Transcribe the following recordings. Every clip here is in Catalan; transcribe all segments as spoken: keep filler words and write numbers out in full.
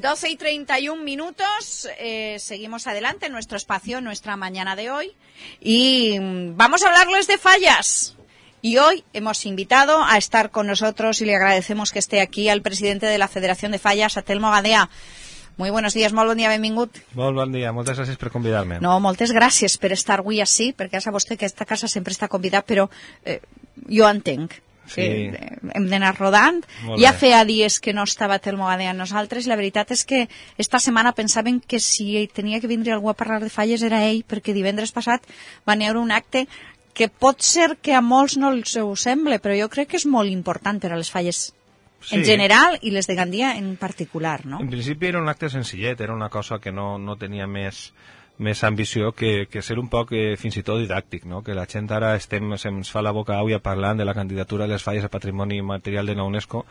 doce y treinta y un minutos, eh, seguimos adelante en nuestro espacio, nuestra mañana de hoy, y vamos a hablarles de fallas. Y hoy hemos invitado a estar con nosotros, y le agradecemos que esté aquí, al presidente de la Federación de Fallas, a Telmo Gadea. Muy buenos días, molt bon dia, benvingut. Molt bon dia, moltes gràcies per convidar-me. No, moltes gràcies per estar avui així, perquè ja sap vostè que aquesta casa sempre està convidat, però eh, jo entenc. Sí. Eh, hem d'anar rodant. Ja feia dies que no estava Telmo Gadea amb nosaltres. La veritat és que esta setmana pensaven que si tenia que vindre algú a parlar de falles era ell, perquè divendres passat va haver un acte que pot ser que a molts no els ho sembla, però jo crec que és molt important per a les falles sí. en general i les de Gandia en particular, no? En principi era un acte senzillet, era una cosa que no, no tenia més... més ambició que, que ser un poc eh, fins i tot didàctic, no? Que la gent ara estem, se'ns fa la boca auia parlant de la candidatura de les falles a Patrimoni Material de la UNESCO,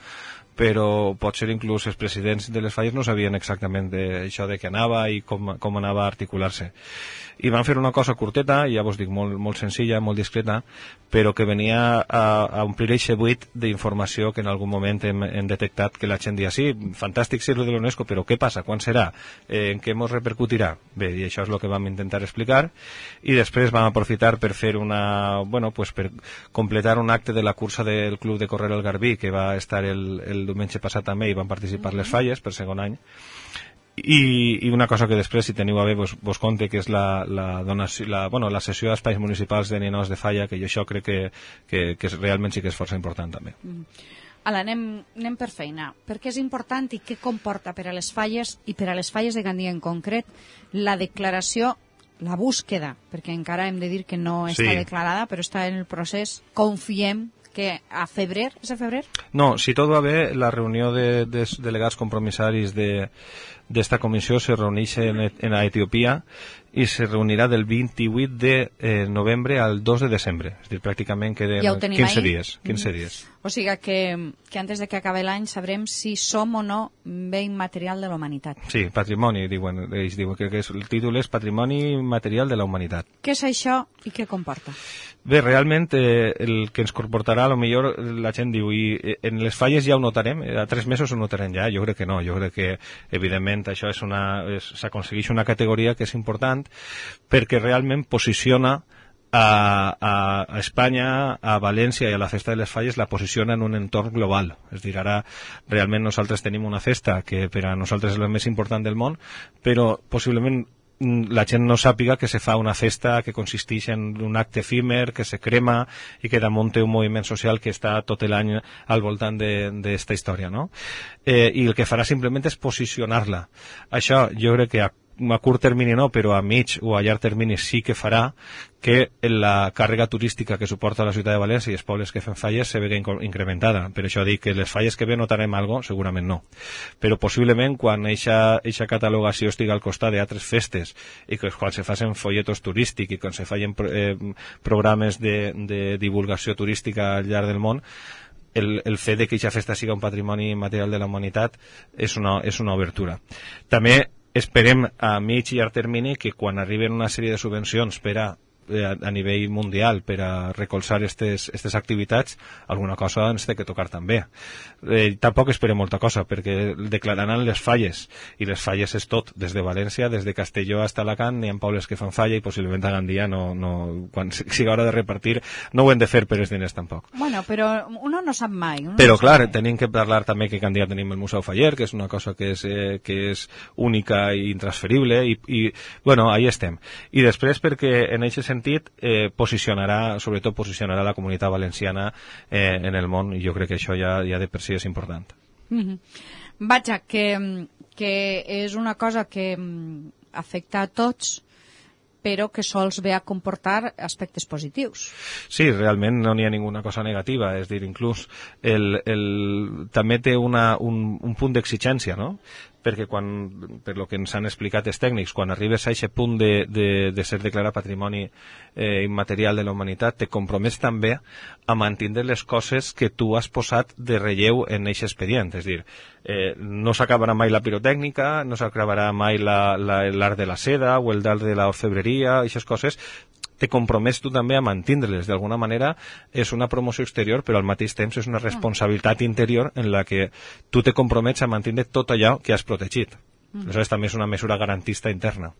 però potser inclús els presidents de les falles no sabien exactament de, això de què anava i com, com anava a articular-se. I van fer una cosa curteta, ja vos dic, molt, molt senzilla, molt discreta, però que venia a, a omplir aquest buit d'informació que en algun moment hem, hem detectat que la gent dia sí, fantàstic ser-lo de l'UNESCO, però què passa? Quan serà? Eh, en què ens repercutirà? Bé, i això és el que vam intentar explicar, i després vam aprofitar per fer una, bueno, pues per completar un acte de la cursa del Club de Correr el Garbí, que va estar el, el diumenge passat també, i van participar les falles per segon any. I, i una cosa que després, si teniu a bé, vos, vos conte, que és la, la, donació, la, bueno, la cessió d'espais municipals de ninots de falla, que jo això crec que, que, que és, realment sí que és força important també. Mm. Ala, anem, anem per feina. Per què és important i què comporta per a les falles i per a les falles de Gandia en concret la declaració, la búsqueda, perquè encara hem de dir que no està sí. declarada, però està en el procés, confiem que a febrer, és a febrer? No, si tot va bé, la reunió de, de delegats compromissaris de d'esta comissió se reuneix en, en Etiòpia i se reunirà del vint-i-vuit de eh, novembre al dos de desembre. És a dir, pràcticament queden ja quinze dies. quinze dies. O sigui que, que antes de que acabi l'any sabrem si som o no bé immaterial de la humanitat. Sí, patrimoni, diuen, ells diuen que, que és, el títol és Patrimoni Material de la Humanitat. Què és això i què comporta? Bé, realment eh, el que ens comportarà, a lo millor la gent diu, i en les falles ja ho notarem, a tres mesos ho notarem ja, jo crec que no, jo crec que evidentment això és una, s'aconsegueix una categoria que és important perquè realment posiciona a, a, a Espanya, a València i a la Festa de les Falles, la posiciona en un entorn global. És a dir, ara realment nosaltres tenim una festa que per a nosaltres és la més important del món, però possiblement la gent no sàpiga que se fa una festa que consisteix en un acte efímer, que se crema i que damunt té un moviment social que està tot l'any al voltant d'esta història, no? Eh, I el que farà simplement és posicionar-la. Això jo crec que a a curt termini no, però a mig o a llarg termini sí que farà que la càrrega turística que suporta la ciutat de València i els pobles que fem falles se vegi incrementada. Per això dic que les falles que ve notarem alguna cosa, segurament no. Però possiblement quan eixa catalogació estigui al costat d'altres festes i que quan se facin folletos turístics i quan se facin eh, programes de, de divulgació turística al llarg del món, el, el fet de que eixa festa siga un patrimoni material de la humanitat és una, és una obertura. També esperem a mig i llarg termini que quan arriben una sèrie de subvencions per a a, a nivell mundial per a recolzar aquestes activitats, alguna cosa ens té que tocar també. Eh, tampoc esperem molta cosa, perquè declararan les falles, i les falles és tot, des de València, des de Castelló fins a Alacant, n'hi ha pobles que fan falla i possiblement a Gandia no, no, quan sigui hora de repartir no ho hem de fer per els diners tampoc. Bueno, però uno no sap mai. Uno però no clar, mai. Tenim que parlar també que a Gandia tenim el Museu Faller, que és una cosa que és, eh, que és única i intransferible, i, i bueno, ahí estem. I després perquè en aquest sentit eh, posicionarà, sobretot posicionarà la comunitat valenciana eh, en el món, i jo crec que això ja, ja de per si és important. Mm-hmm. Vaja, que, que és una cosa que afecta a tots, però que sols ve a comportar aspectes positius. Sí, realment no n'hi ha ninguna cosa negativa, és dir, inclús el, el, també té una, un, un punt d'exigència, no? Perquè quan, per lo que ens han explicat els tècnics, quan arribes a aquest punt de, de, de ser declarat patrimoni eh, immaterial de la humanitat, te compromets també a mantenir les coses que tu has posat de relleu en aquest expedient. És dir, eh, no s'acabarà mai la pirotècnica, no s'acabarà mai l'art de la seda o el d'art de l'orfebreria, aquestes coses, te compromets tu també a mantindre-les. D'alguna manera és una promoció exterior, però al mateix temps és una responsabilitat interior en la que tu te compromets a mantindre tot allò que has protegit. Mm. Aleshores també és una mesura garantista interna.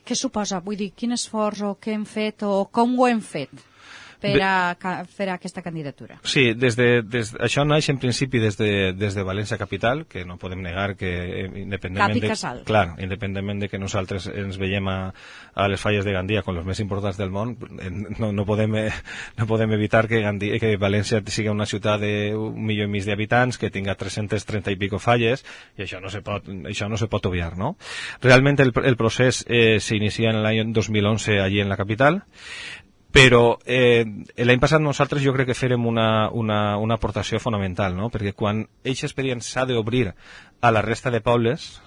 Què suposa? Vull dir, quin esforç o què hem fet o com ho hem fet per a fer aquesta candidatura? Sí, des de, des, això naix en principi des de, des de València Capital, que no podem negar que independentment Cap i casal. De, clar, independentment de que nosaltres ens veiem a, a les falles de Gandia com els més importants del món, no, no, podem, no podem evitar que, Gandia, que València sigui una ciutat d'un milió i mig d'habitants, que tinga tres-centes trenta i pico falles, i això no se pot, això no se pot obviar, no? Realment el, el procés eh, s'inicia en l'any dos mil onze allí en la capital, però eh, l'any passat nosaltres jo crec que fèrem una, una, una aportació fonamental, no? Perquè quan aquest expedient s'ha d'obrir a la resta de pobles,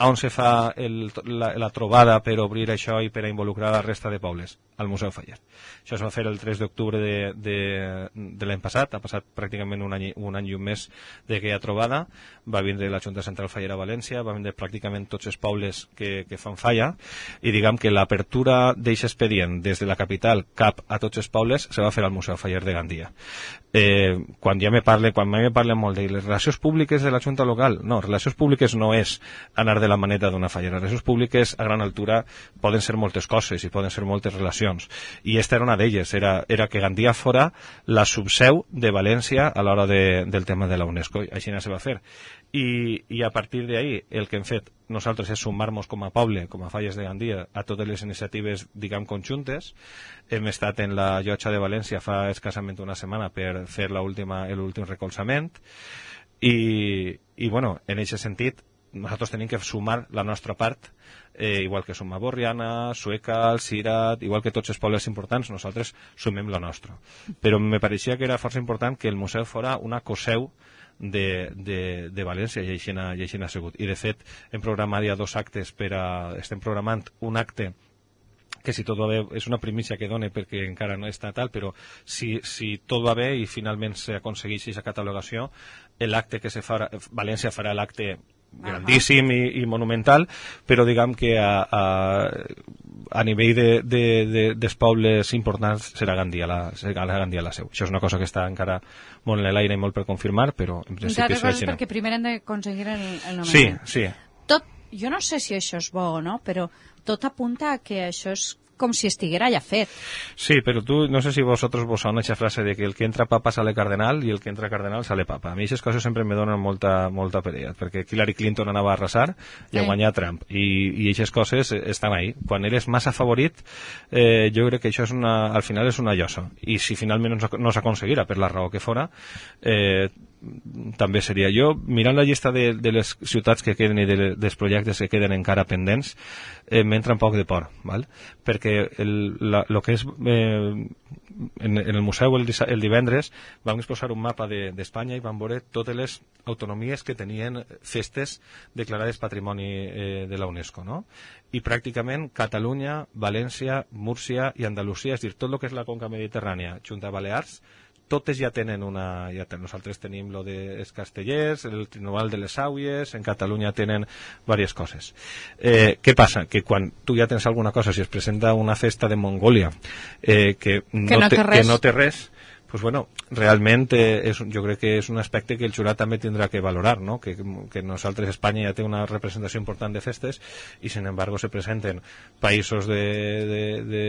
on se fa el, la, la trobada per obrir això i per a involucrar la resta de pobles? Al Museu Faller. Això es va fer el tres d'octubre de, de, de l'any passat, ha passat pràcticament un any, un any i un mes d'aquella trobada, va vindre la Junta Central Fallera a València, va vindre pràcticament tots els pobles que, que fan falla, i diguem que l'apertura d'aquest expedient des de la capital cap a tots els pobles se va fer al Museu Faller de Gandia. Eh, quan ja me parle, quan me parlen molt de les relacions públiques de la Junta local, no, relacions públiques no és anar de la maneta d'una fallera, les relacions públiques a gran altura poden ser moltes coses i poden ser moltes relacions, i esta era una d'elles, era, era que Gandia fora la subseu de València a l'hora de, del tema de la UNESCO, i així no se va fer. I, i a partir d'ahí el que hem fet nosaltres és sumar-nos com a poble, com a Falles de Gandia, a totes les iniciatives, diguem, conjuntes. Hem estat en la Llotja de València fa escassament una setmana per fer l'últim recolzament i, i bueno, en aquest sentit nosaltres tenim que sumar la nostra part, eh, igual que sumar Borriana, Sueca, Cirat, igual que tots els pobles importants, nosaltres sumem la nostra. Però me pareixia que era força important que el museu fora una coseu de, de, de València, i així n'ha sigut. I de fet hem programat ja dos actes per a, estem programant un acte que si tot va bé, és una primícia que dona perquè encara no està tal, però si, si tot va bé i finalment s'aconsegueix aquesta catalogació, l'acte que se farà, València farà l'acte grandíssim i, i monumental, però diguem que a, a, a nivell de, de, de, dels pobles importants serà Gandia la, serà Gandia la seu. Això és una cosa que està encara molt en l'aire i molt per confirmar, però en principi és així. Perquè primer hem d'aconseguir el, el nomenament. Sí, sí. Tot, jo no sé si això és bo o no, però tot apunta a que això és com si estiguera ja fet. Sí, però tu, no sé si vosotros vos sona aquesta frase de que el que entra papa sale cardenal i el que entra cardenal sale papa. A mi aquestes coses sempre me donen molta, molta perella, perquè Hillary Clinton anava a arrasar i a guanyar Trump, i, i aquestes coses estan ahí. Quan eres massa favorit, eh, jo crec que això és una, al final és una llosa, i si finalment no s'aconseguirà per la raó que fora, eh, també seria. Jo, mirant la llista de, de les ciutats que queden i de, dels projectes que queden encara pendents, eh, m'entra un poc de por, val? Perquè el, la, lo que és eh, en, en el museu el, el divendres vam exposar un mapa d'Espanya de, i vam veure totes les autonomies que tenien festes declarades patrimoni eh, de la UNESCO, no? I pràcticament Catalunya, València, Múrcia i Andalusia, és a dir, tot el que és la conca mediterrània, Junta Balears, totes ja tenen una... Ja ten, nosaltres tenim lo de els castellers, el Trinoval de les Àuies, en Catalunya tenen diverses coses. Eh, què passa? Que quan tu ja tens alguna cosa, si es presenta una festa de Mongòlia eh, que, no que, no te, té que no té res, pues bueno, realment eh, és, jo crec que és un aspecte que el jurat també tindrà que valorar, no? Que, que nosaltres, Espanya ja té una representació important de festes i, sin embargo, se presenten països de, de, de,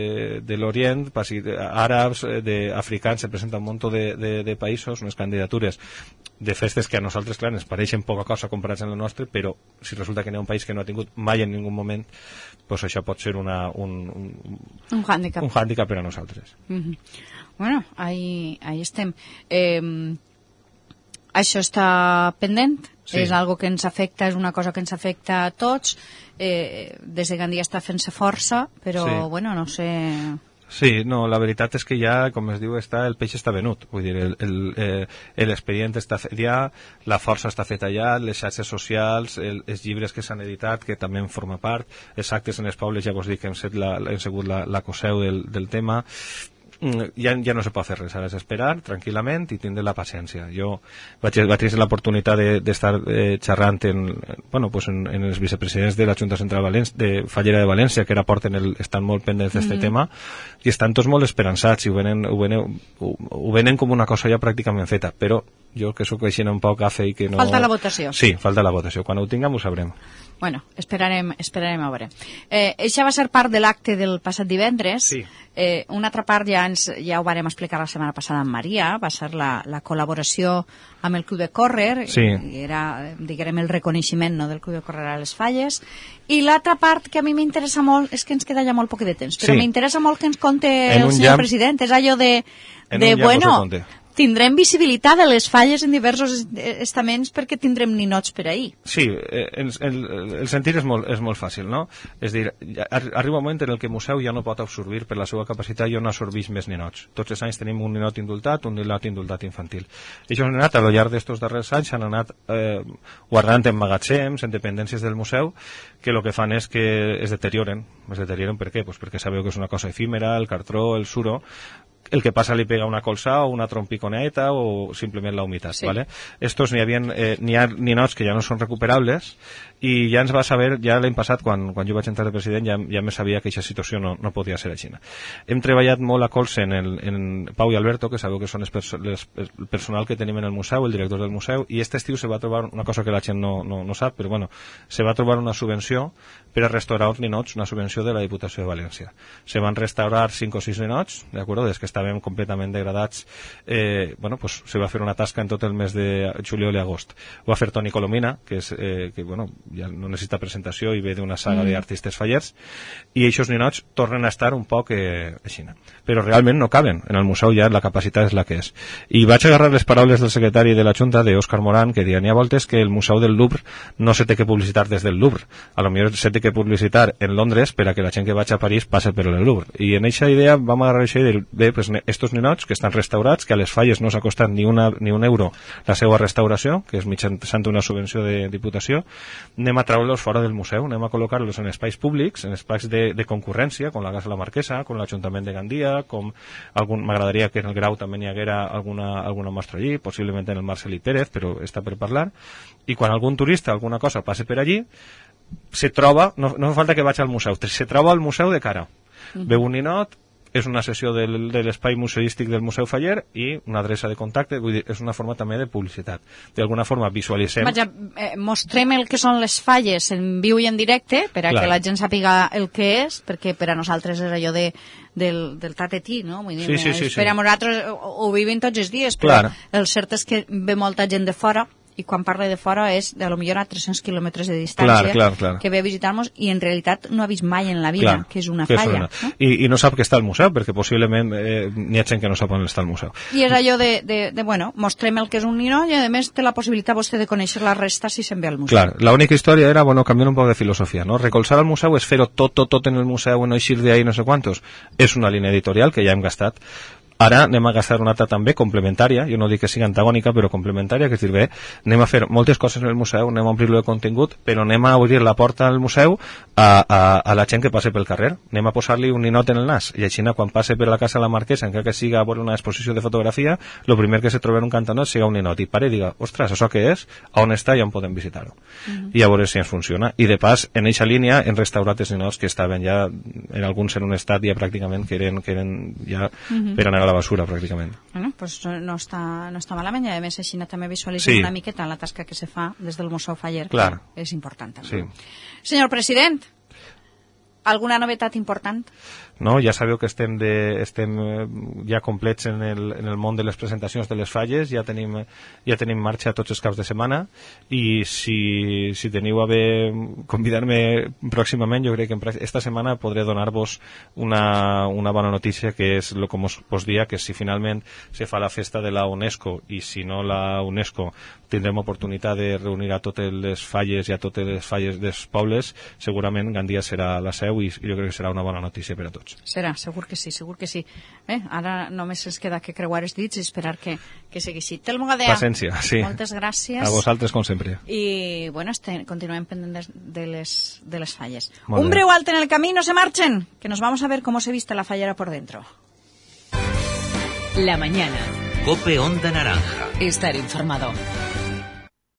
de l'Orient, àrabs, de, africans, se presenta un munt de, de, de països, unes candidatures de festes que a nosaltres, clar, ens pareixen poca cosa comparats amb el nostre, però si resulta que n'hi ha un país que no ha tingut mai en ningú moment, pues això pot ser una, un, un, un hàndicap un hàndicap per a nosaltres. Mm-hmm. Bueno, ahí, ahí estem. Eh, això està pendent, sí. És algo que ens afecta, és una cosa que ens afecta a tots. Eh, des de Gandia està fent-se força, però, sí. Bueno, no sé... Sí, no, la veritat és que ja, com es diu, està, el peix està venut. Vull dir, l'expedient eh, està fet ja, la força està feta ja, les xarxes socials, el, els llibres que s'han editat, que també en forma part, els actes en els pobles, ja vos dic que hem, set la, hem sigut la, la coseu del, del tema. ja, ja no se pot fer res, ara és esperar tranquil·lament i tindre la paciència. Jo vaig, vaig tenir l'oportunitat d'estar de, eh, xerrant en, bueno, pues en, en els vicepresidents de la Junta Central València, de Fallera de València, que ara porten el, estan molt pendents d'aquest mm-hmm. tema, i estan tots molt esperançats i ho venen, ho, venen, ho, ho venen com una cosa ja pràcticament feta, però jo que sóc així un poc gafe i que no... Falta la votació. Sí, falta la votació. Quan ho tinguem ho sabrem. Bueno, esperarem, esperarem a veure. Eh, això va ser part de l'acte del passat divendres. Sí. Eh, una altra part ja, ens, ja ho vàrem explicar la setmana passada amb Maria, va ser la, la col·laboració amb el Club de Córrer, sí. i era, diguem, el reconeixement, no, del Club de Córrer a les Falles. I l'altra part que a mi m'interessa molt, és que ens queda ja molt poc de temps, però sí. m'interessa molt que ens conte el senyor llamp, president, és allò de, de bueno... Tindrem visibilitat de les falles en diversos estaments perquè tindrem ninots per ahir. Sí, el, el, el sentir és molt, és molt fàcil, no? És dir, arriba un moment en el que el museu ja no pot absorbir per la seva capacitat, ja no absorbeix més ninots. Tots els anys tenim un ninot indultat, un ninot indultat infantil. I això han anat, a lo llarg d'estos darrers anys, han anat eh, guardant en magatzems, en dependències del museu, que el que fan és que es deterioren. Es deterioren per què? Pues perquè sabeu que és una cosa efímera, el cartró, el suro, el que passa li pega una colza o una trompiconeta o simplement la humitat, sí. ¿Vale? Estos n'hi havia, eh, n'hi ha ninots que ja no són recuperables i ja ens va saber, ja l'any passat, quan, quan jo vaig entrar de president, ja, ja me sabia que aquesta situació no, no podia ser així. Hem treballat molt a colze en, el, en Pau i Alberto, que sabeu que són els perso les, el personal que tenim en el museu, el director del museu, i aquest estiu se va trobar una cosa que la gent no, no, no sap, però bueno, se va trobar una subvenció per a restaurar els ninots, una subvenció de la Diputació de València. Se van restaurar cinc o sis ninots, d'acord, des que estàvem completament degradats, eh, bueno, pues se va fer una tasca en tot el mes de juliol i agost. Ho va fer Toni Colomina, que és, eh, que bueno, ja no necessita presentació i ve d'una saga mm. d'artistes fallers, i aquests ninots tornen a estar un poc eh, així. Però realment no caben. En el museu ja la capacitat és la que és. I vaig agarrar les paraules del secretari de la Junta, d'Òscar Morán, que deia, n'hi ha voltes que el museu del Louvre no se té que publicitar des del Louvre. A lo millor se té que publicitar en Londres per a que la gent que vaig a París passe per el Louvre. I en aquesta idea vam agarrar això i dir, bé, pues, estos ninots que estan restaurats, que a les falles no s'ha costat ni, una, ni un euro la seva restauració, que és mitjançant una subvenció de Diputació, anem a treure-los fora del museu, anem a col·locar-los en espais públics, en espais de, de concurrència, com la Casa de la Marquesa, com l'Ajuntament de Gandia, com algun, m'agradaria que en el Grau també n'hi haguera alguna, alguna mostra allí, possiblement en el Marcelí Pérez, però està per parlar, i quan algun turista, alguna cosa, passe per allí, se troba, no, no fa falta que vagi al museu, se troba al museu de cara, mm. veu un ninot, és una sessió del, de l'espai museístic del Museu Faller i una adreça de contacte, vull dir, és una forma també de publicitat. D'alguna forma visualitzem... Vaja, eh, mostrem el que són les falles en viu i en directe, per a Clar. que la gent sàpiga el que és, perquè per a nosaltres és allò de, del, del tatetí, no? Vull dir, sí, sí, sí, per a sí. nosaltres ho, ho vivim tots els dies, però Clar. el cert és que ve molta gent de fora, i quan parla de fora és de lo millor a tres-cents quilòmetres de distància clar, clar, clar. que ve a visitar-nos i en realitat no ha vist mai en la vida clar, que és una que falla. És una. No? I, I no sap que està al museu, perquè possiblement eh, n'hi ha gent que no sap on està al museu. I és allò de, de, de, bueno, mostrem el que és un nino i a més té la possibilitat vostè de conèixer la resta si se'n ve al museu. Clar, l'única història era, bueno, canviar un poc de filosofia, no? Recolzar al museu és fer-ho tot, tot, tot en el museu, no eixir d'ahí no sé quantos. És una línia editorial que ja hem gastat. Ara anem a gastar una altra també complementària, jo no dic que sigui antagònica, però complementària, que és dir, bé, anem a fer moltes coses en el museu, anem a omplir-lo de contingut, però anem a obrir la porta al museu a, a, a la gent que passe pel carrer. Anem a posar-li un ninot en el nas, i així quan passe per la Casa de la Marquesa, encara que siga a veure una exposició de fotografia, el primer que se troba en un cantonot siga un ninot, i pare i diga, ostres, això què és? A on està i on podem visitar-ho? Uh-huh. I a veure si ens funciona. I de pas, en eixa línia, hem restaurat els ninots que estaven ja, en alguns en un estat ja pràcticament que eren, que eren ja uh-huh. per anar a la basura, pràcticament. Bueno, pues no està, no està malament, i a més així també visualitzem sí. una miqueta la tasca que se fa des del Museu Faller, Clar. que és important també. Sí. Senyor president, alguna novetat important? No, ja sabeu que estem, de, estem ja complets en el, en el món de les presentacions de les falles, ja tenim, ja tenim marxa tots els caps de setmana, i si, si teniu a bé convidar-me pròximament, jo crec que esta setmana podré donar-vos una, una bona notícia, que és el que us, us dia, que si finalment se fa la festa de la UNESCO, i si no la UNESCO, tindrem oportunitat de reunir a totes les falles i a totes les falles dels pobles, segurament Gandia serà la seu, i jo crec que serà una bona notícia per a tots. Serà, segur que sí, segur que sí. Eh, ara només ens queda que creuar els dits i esperar que, que sigui així. Telmo Gadea, Paciència, sí. Moltes gràcies. A vosaltres, com sempre. I, bueno, este, continuem pendents de les, de les falles. Molt Un breu alt en el camí, no se marchen, que nos vamos a ver cómo se viste la fallera por dentro. La mañana. Cope Onda Naranja. Estar informado.